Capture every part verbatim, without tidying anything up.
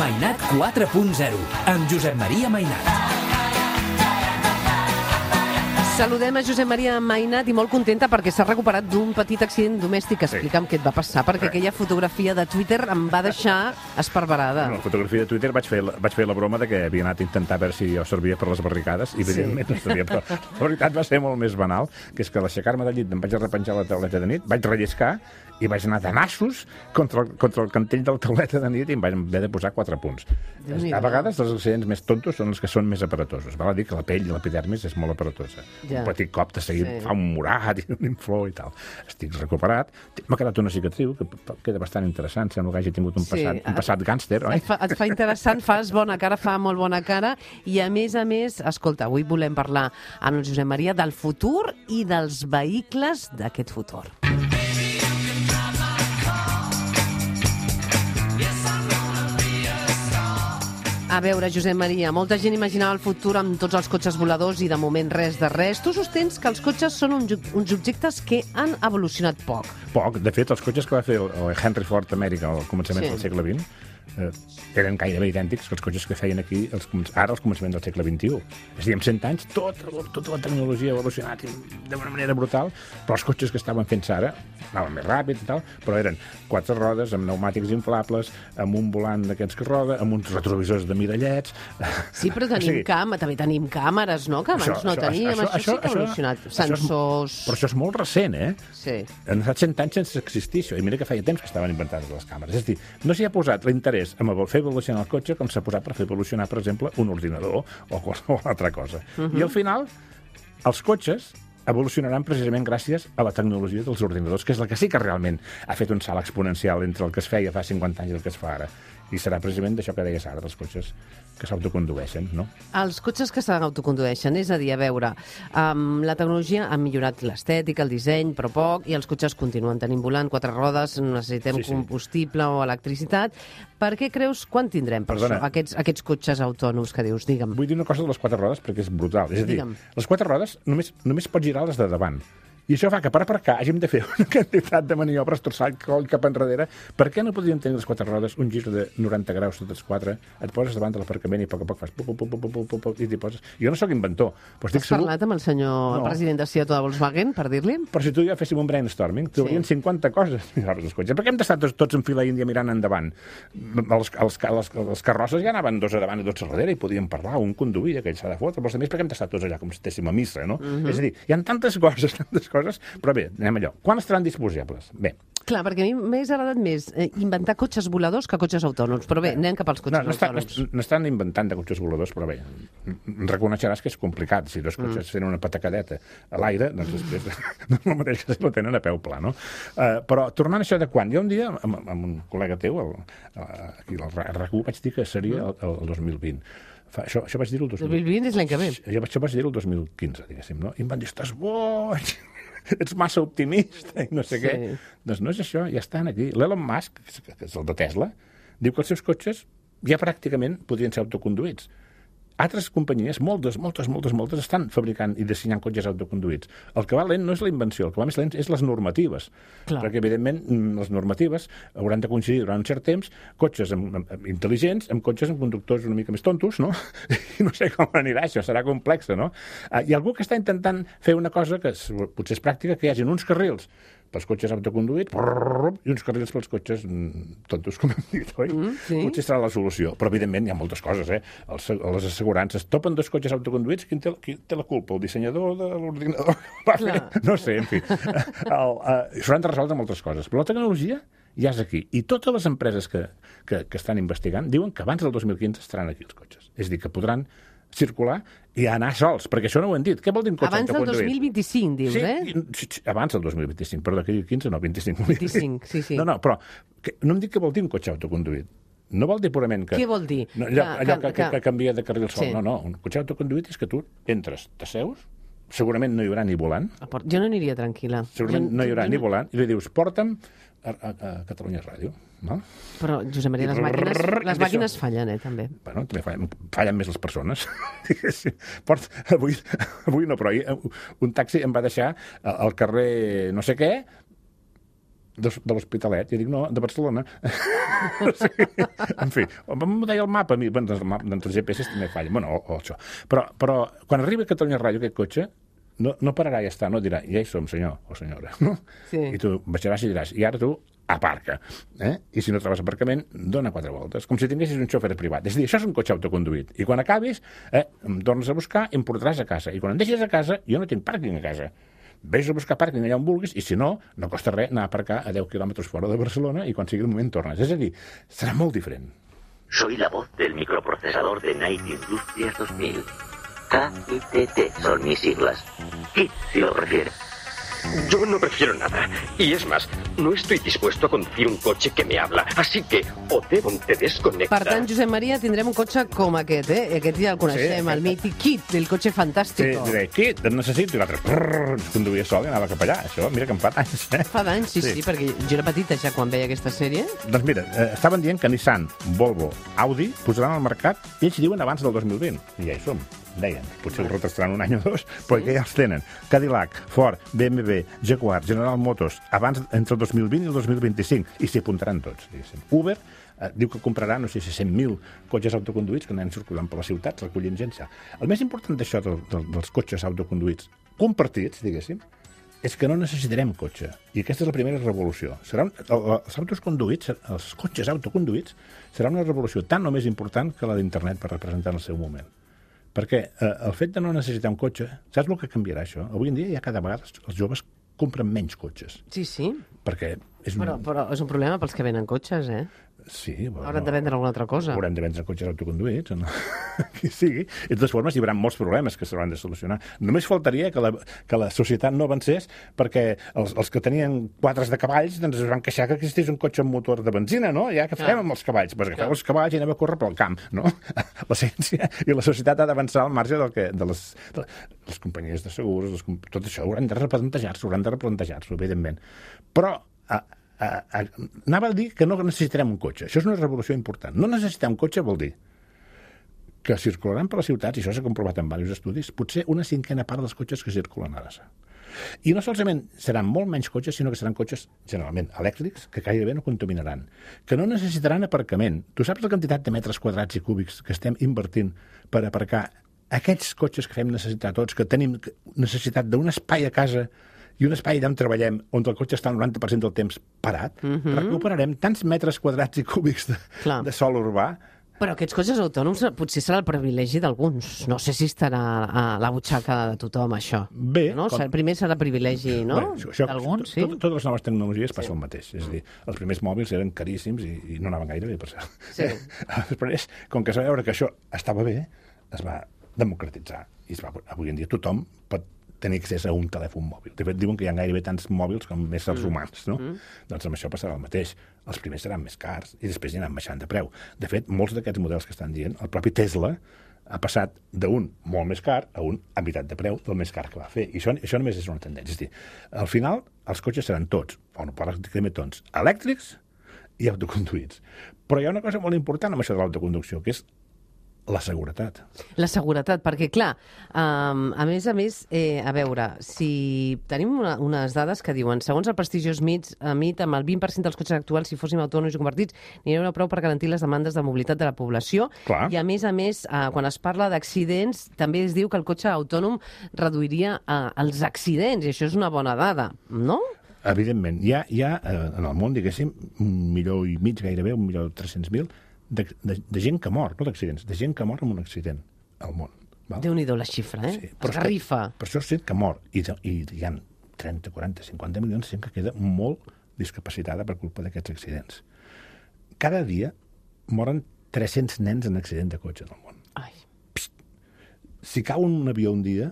Mainat quatre punt zero, amb Josep Maria Mainat. Saludem a Josep Maria Mainat i molt contenta perquè s'ha recuperat d'un petit accident domèstic. Explica'm què et va passar, perquè aquella fotografia de Twitter em va deixar esparverada. No, la fotografia de Twitter vaig fer, vaig fer la broma de que havia anat a intentar veure si jo servia per les barricades i evidentment sí. no servia, però la veritat va ser molt més banal, que és que a l'aixecar-me del llit em vaig repenjar la tauleta de nit, vaig relliscar i vaig anar de nassos contra el, contra el cantell de la tauleta de nit i em vaig haver de posar quatre punts. A vegades els accidents més tontos són els que són més aparatosos. Val a dir que la pell i l'epidermis és molt aparatosa. Ja. Un petit cop de seguit sí. fa un morat i un inflor i tal. Estic recuperat. M'ha quedat una cicatriu que queda bastant interessant. Sembla que hagi tingut un passat, sí. un passat gàngster, oi? Et fa, et fa interessant, fas bona cara, fa molt bona cara. I a més a més, escolta, avui volem parlar amb el Josep Maria del futur i dels vehicles d'aquest futur. A veure, Josep Maria, molta gent imaginava el futur amb tots els cotxes voladors i de moment res de res. Tu sostens que els cotxes són un, uns objectes que han evolucionat poc. Poc. De fet, els cotxes que va fer el Henry Ford a Amèrica al començament sí. del segle vint eh, eren gairebé idèntics que els cotxes que feien aquí els, ara al començament del segle vint-i-u. És a dir, en cent anys tota, tota la tecnologia ha evolucionat d'una manera brutal, però els cotxes que estaven fent-se ara anaven més ràpid i tal, però eren quatre rodes amb pneumàtics inflables, amb un volant d'aquests que roda, amb uns retrovisors de mirallets... Sí, però tenim, o sigui, cam també tenim càmeres, no?, que abans això, no teníem. Això, això, això sí que ha evolucionat. Això, Sensors... Però això és molt recent, eh? Sí. Han estat cent anys sense existir això, i mira que feia temps que estaven inventades les càmeres. És a dir, no s'hi ha posat l'interès en fer evolucionar el cotxe com s'ha posat per fer evolucionar, per exemple, un ordinador o qualsevol altra cosa. Uh -huh. I al final, els cotxes evolucionaran precisament gràcies a la tecnologia dels ordinadors, que és la que sí que realment ha fet un salt exponencial entre el que es feia fa cinquanta anys i el que es fa ara. I serà precisament d'això que deies ara, dels cotxes que s'autocondueixen, no? Els cotxes que s'autocondueixen, és a dir, a veure, um, la tecnologia ha millorat l'estètica, el disseny, però poc, i els cotxes continuen tenint volant, quatre rodes, necessitem sí, sí. combustible o electricitat. Per què creus, quan tindrem per Perdona. això, aquests, aquests cotxes autònoms que dius? Digue'm. Vull dir una cosa de les quatre rodes perquè és brutal. És a dir, Digue'm. les quatre rodes només, només pots girar les de davant. I això fa que per aparcar hàgim de fer una quantitat de maniobres, torçar el coll cap enrere. Per què no podríem tenir les quatre rodes, un gir de noranta graus totes quatre, et poses davant de l'aparcament i a poc a poc fas pup, pup, pup, pup, pup, pup, i t'hi poses. Jo no sóc inventor, però estic Has segur... parlat amb el senyor no. el president de Seat de Volkswagen, per dir-li? Però si tu i jo féssim un brainstorming, trobarien sí. cinquanta coses. Els cotxes. Per què hem d'estar tots, tots en fila índia mirant endavant? Els, els, els, els carrosses ja anaven dos a davant i dos a darrere i podien parlar, un conduïa, que ell s'ha de fotre, però també per què hem d'estar tots allà com si estéssim a missa, no? Uh -huh. És a dir, hi ha tantes coses, tantes coses, però bé, anem allò. Quan estaran disposables? Bé. Clar, perquè a mi m'hagués agradat més eh, inventar cotxes voladors que cotxes autònoms, però bé, anem cap als cotxes no, no està, autònoms. No, no estan inventant de cotxes voladors, però bé, reconeixeràs que és complicat. Si dos cotxes mm. tenen una patacadeta a l'aire, doncs després no és el mateix que si la tenen a peu pla, no? Uh, però tornant a això de quan, jo un dia, amb, amb un col·lega teu, el, aquí al R A C u, vaig dir que seria el, el dos mil vint. Fa, això, això vaig dir el dos mil vint. dos mil vint és l'any que ve. Jo, això vaig dir el dos mil quinze, diguéssim, no? I em van dir, estàs boig, ets massa optimista, i no sé sí. què. Doncs no és això, ja estan aquí. L'Elon Musk, que és el de Tesla, diu que els seus cotxes ja pràcticament podrien ser autoconduïts. Altres companyies, moltes, moltes, moltes, moltes, estan fabricant i dissenyant cotxes autoconduïts. El que va lent no és la invenció, el que va més lent és les normatives. Clar. Perquè, evidentment, les normatives hauran de coincidir durant un cert temps cotxes amb, amb, intel·ligents amb cotxes amb conductors una mica més tontos, no? I no sé com anirà això, serà complex, no? Hi ha algú que està intentant fer una cosa que és, potser és pràctica, que hi hagin uns carrils pels cotxes autoconduïts i uns carrils pels cotxes tontos, com hem dit, oi? Mm, sí. Potser serà la solució. Però, evidentment, hi ha moltes coses, eh? Els, les assegurances topen dos cotxes autoconduïts, qui té, qui té la culpa? El dissenyador de l'ordinador? No sé, en fi. S'hauran de resoldre moltes coses. Però la tecnologia ja és aquí. I totes les empreses que, que, que estan investigant diuen que abans del dos mil quinze estaran aquí els cotxes. És a dir, que podran circular i anar sols, perquè això no ho hem dit. Què vol dir un cotxe abans del dos mil vint-i-cinc, dius, sí, eh? Sí, abans del dos mil vint-i-cinc, perdó, que quinze, no, vint-i-cinc. vint-i-cinc, sí, sí. No, no, però que, no em dic què vol dir un cotxe autoconduït. No vol dir purament que... Què vol dir? No, allò que, allò que, que, que, que canvia de carril sol. Sí. No, no, un cotxe autoconduït és que tu entres, t'asseus, segurament no hi haurà ni volant. Jo no aniria tranquil·la. Segurament jo, no hi haurà jo, ni volant, i li dius, porta'm a, a, a Catalunya Ràdio. No? Però, Josep Maria, les màquines, les màquines fallen, eh, també. Bueno, també fallen, fallen més les persones. Port, avui, avui no, però ahir un taxi em va deixar al carrer no sé què, de, de l'Hospitalet, i dic, no, de Barcelona. Sí. En fi, em deia el mapa, a mi, bueno, doncs els G P S també fallen, bueno, o, o això. Però, però quan arriba a Catalunya Ràdio aquest cotxe, no, no pararà i ja està, no dirà, ja hi som, senyor o senyora, no? Sí. I tu baixaràs i diràs, i ara tu aparca, eh? I si no trobes aparcament, dona quatre voltes, com si tinguessis un xòfer privat. És a dir, això és un cotxe autoconduït. I quan acabis, eh, em tornes a buscar i em portaràs a casa. I quan em deixes a casa, jo no tinc pàrquing a casa. Vés a buscar pàrquing allà on vulguis i, si no, no costa res anar a aparcar a deu quilòmetres fora de Barcelona i quan sigui el moment tornes. És a dir, serà molt diferent. Soy la voz del microprocesador de Night Industries dos mil. K I T T son mis siglas. Kit, si lo prefieres. Yo no prefiero nada. Y es más, no estoy dispuesto a conducir un coche que me habla. Así que o Devon te desconecta... Per tant, Josep Maria, tindrem un cotxe com aquest, eh? Aquest ja el coneixem, sí, el mític Kit, el cotxe fantàstic. Sí, diré, Kit, et necessito. I l'altre, prrrr, es conduïa sol i anava cap allà. Això, mira que em fa d'anys, eh? Fa d'anys, sí, sí, Sí. sí, perquè jo era petita ja quan veia aquesta sèrie. Doncs mira, eh, estaven dient que Nissan, Volvo, Audi posaran al mercat, i ells diuen abans del dos mil vint. I ja hi som, deien. Potser ho retrasaran un any o dos, però que ja els tenen. Cadillac, Ford, B M W, Jaguar, General Motors, abans entre el dos mil vint i el dos mil vint-i-cinc, i s'hi apuntaran tots, diguéssim. Uber eh, diu que comprarà, no sé si cent mil cotxes autoconduïts que anen circulant per les ciutats, recollint gent. El més important d'això del, del, dels cotxes autoconduïts compartits, diguéssim, és que no necessitarem cotxe. I aquesta és la primera revolució. Serà un, els autos conduïts, els cotxes autoconduïts, serà una revolució tan o més important que la d'internet per representar en el seu moment. Perquè eh, el fet de no necessitar un cotxe, saps el que canviarà això? Avui en dia ja cada vegada els joves compren menys cotxes. Sí, sí. Perquè és un... Però, però és un problema pels que venen cotxes, eh? Sí, bueno, Hauran de vendre alguna altra cosa. Haurem de vendre cotxes autoconduïts, o no? Qui sigui. I de totes formes hi haurà molts problemes que s'hauran de solucionar. Només faltaria que la, que la societat no avancés perquè els, els que tenien quadres de cavalls doncs es van queixar que existís un cotxe amb motor de benzina, no? Ja que fem amb els cavalls? Pues agafeu els cavalls i anem a córrer pel camp, no? La ciència i la societat ha d'avançar al marge del que, de, les, de les companyies de segurs, les, tot això hauran de replantejar-s'ho, hauran de replantejar-s'ho, evidentment. Però a, a, a, anava a dir que no necessitarem un cotxe. Això és una revolució important. No necessitar un cotxe vol dir que circularan per les ciutats, i això s'ha comprovat en diversos estudis, potser una cinquena part dels cotxes que circulen ara. I no solament seran molt menys cotxes, sinó que seran cotxes generalment elèctrics, que gairebé no contaminaran, que no necessitaran aparcament. Tu saps la quantitat de metres quadrats i cúbics que estem invertint per aparcar aquests cotxes que fem necessitar tots, que tenim necessitat d'un espai a casa i un espai allà on treballem, on el cotxe està el noranta per cent del temps parat, mm-hmm. recuperarem tants metres quadrats i cúbics de, de sòl urbà. Però aquests cotxes autònoms potser serà el privilegi d'alguns. No sé si estarà a la butxaca de tothom, això. Bé. No? Com... Primer serà privilegi, no? Bé, d'alguns, sí. Tot, totes les noves tecnologies sí. passa el mateix. És a dir, els primers mòbils eren caríssims i, i no anaven gaire bé, per cert. Sí. Després, com que es va veure que això estava bé, es va democratitzar. I es va, avui en dia tothom pot tenir accés a un telèfon mòbil. De fet, diuen que hi ha gairebé tants mòbils com més els humans, no? Mm. Doncs amb això passarà el mateix. Els primers seran més cars i després hi anaran baixant de preu. De fet, molts d'aquests models que estan dient, el propi Tesla ha passat d'un molt més car a un a meitat de preu del més car que va fer. I això, això només és una tendència. És dir, al final, els cotxes seran tots, o no pràcticament tots, elèctrics i autoconduïts. Però hi ha una cosa molt important amb això de l'autoconducció, que és la seguretat. La seguretat, perquè, clar, um, a més a més, eh, a veure, si tenim una, unes dades que diuen, segons el prestigiós M I T, M I T, amb el vint per cent dels cotxes actuals, si fóssim autònoms i convertits, n'hi hauria prou per garantir les demandes de mobilitat de la població. Clar. I, a més a més, eh, quan es parla d'accidents, també es diu que el cotxe autònom reduiria eh, els accidents, i això és una bona dada, no? Evidentment. Hi ha, hi ha eh, en el món, diguéssim, un milió i mig gairebé, un milió tres-cents mil, De, de, de gent que mor, no d'accidents, de gent que mor en un accident al món. Val? Déu-n'hi-do la xifra, eh? Sí, però esgarrifa. Per això és gent que mor. I, i hi ha trenta, quaranta, cinquanta milions de gent que queda molt discapacitada per culpa d'aquests accidents. Cada dia moren tres-cents nens en accident de cotxe en el món. Ai. Psst. Si cau un avió un dia,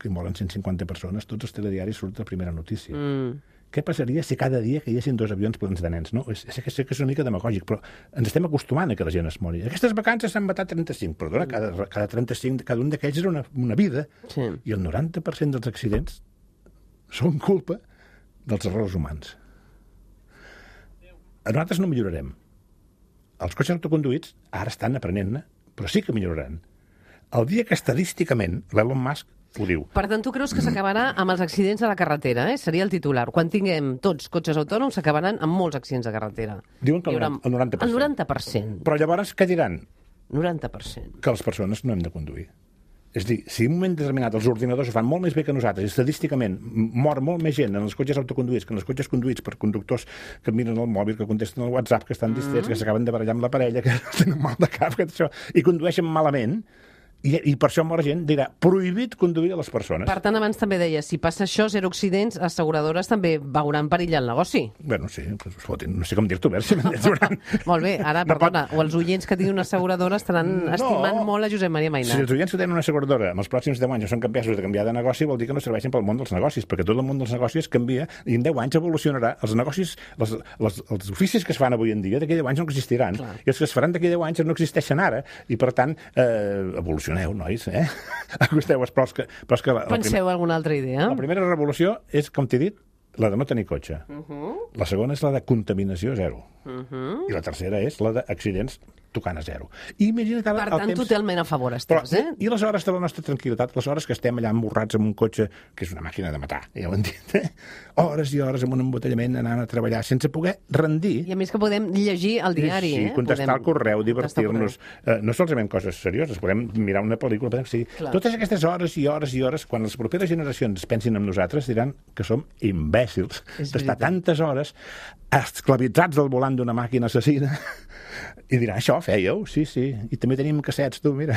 que moren cent cinquanta persones, tots els telediaris surten la primera notícia. Mm. Què passaria si cada dia caiguessin dos avions plens de nens? No? Sé que, sé que és una mica demagògic, però ens estem acostumant a que la gent es mori. Aquestes vacances s'han matat trenta-cinc. Perdona, cada, cada trenta-cinc, cada un d'aquells era una, una vida. Sí. I el noranta per cent dels accidents són culpa dels errors humans. Nosaltres no millorarem. Els cotxes autoconduïts ara estan aprenent-ne, però sí que milloraran. El dia que estadísticament l'Elon Musk ho diu. Per tant, tu creus que s'acabarà amb els accidents a la carretera, eh? Seria el titular. Quan tinguem tots cotxes autònoms, s'acabaran amb molts accidents de carretera. Diuen que el, haurà... el noranta per cent. El noranta per cent. Però llavors què diran? noranta per cent. Que les persones no hem de conduir. És a dir, si en un moment determinat els ordinadors ho fan molt més bé que nosaltres, i estadísticament mor molt més gent en els cotxes autoconduïts que en els cotxes conduïts per conductors que miren el mòbil, que contesten el WhatsApp, que estan distrets, mm. que s'acaben de barallar amb la parella, que tenen mal de cap, que això, i condueixen malament, i, i per això la gent dirà prohibit conduir a les persones. Per tant, abans també deia, si passa això, zero accidents, asseguradores també veuran perill el negoci. Bueno, sí, pues, fotin, no sé com dir-t'ho, a veure si m'entendran. Molt bé, ara, no perdona, pot... o els oients que tinguin una asseguradora estaran no. estimant molt a Josep Maria Mainat. Si els oients que tenen una asseguradora en els pròxims deu anys no són capaços de canviar de negoci, vol dir que no serveixen pel món dels negocis, perquè tot el món dels negocis canvia i en deu anys evolucionarà. Els negocis, les, les, els oficis que es fan avui en dia, d'aquí deu anys no existiran. Clar. I els que es faran d'aquí deu anys no existeixen ara. I, per tant, eh, evolucioneu, nois, eh? Acosteu-vos, però és que... Però és que la, Penseu la primer... alguna altra idea? La primera revolució és, com t'he dit, la de no tenir cotxe. Uh -huh. La segona és la de contaminació zero. Uh -huh. I la tercera és la d'accidents tocant a zero. I imagina que per tant, temps... totalment a favor estàs, però, eh? I les hores de la nostra tranquil·litat, les hores que estem allà emborrats amb un cotxe, que és una màquina de matar, ja ho hem dit, eh? Hores i hores amb un embotellament anant a treballar sense poder rendir. I a més que podem llegir el diari, sí, eh? contestar al correu, divertir-nos. Eh, no solament coses serioses, podem mirar una pel·lícula, podem seguir. Totes aquestes hores i hores i hores, quan les properes generacions pensin en nosaltres, diran que som imbècils d'estar tantes hores esclavitzats al volant d'una màquina assassina i dirà, això fèieu? Sí, sí. I també tenim cassets, tu, mira.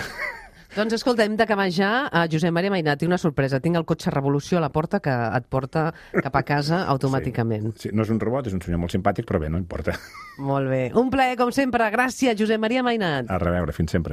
Doncs escolta, hem d'acabar ja. A Josep Maria Mainat, tinc una sorpresa. Tinc el cotxe Revolució a la porta que et porta cap a casa automàticament. Sí, sí. No és un robot, és un senyor molt simpàtic, però bé, no importa. Molt bé. Un plaer, com sempre. Gràcies, Josep Maria Mainat. A reveure, fins sempre.